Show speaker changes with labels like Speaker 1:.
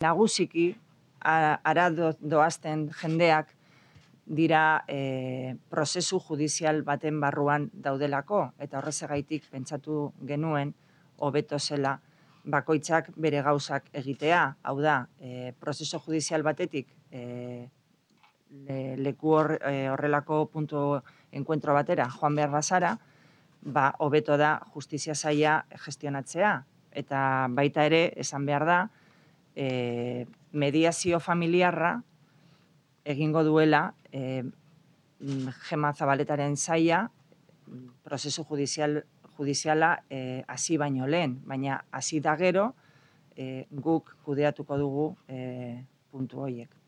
Speaker 1: Nagusiki, ara doazten jendeak dira prozesu judizial baten barruan daudelako, eta horrezagaitik pentsatu genuen hobeto zela bakoitzak bere gauzak egitea. Hau da, prozesu judizial batetik leku horrelako puntu enkuentro batera joan behar bazara, hobeto da justizia saila gestionatzea. Eta baita ere, esan behar da, mediazio familiarra egingo duela Gema Zabaletaren saila prozesu judiziala hasi baino lehen, baina hasi da gero guk kudeatuko dugu puntu horiek.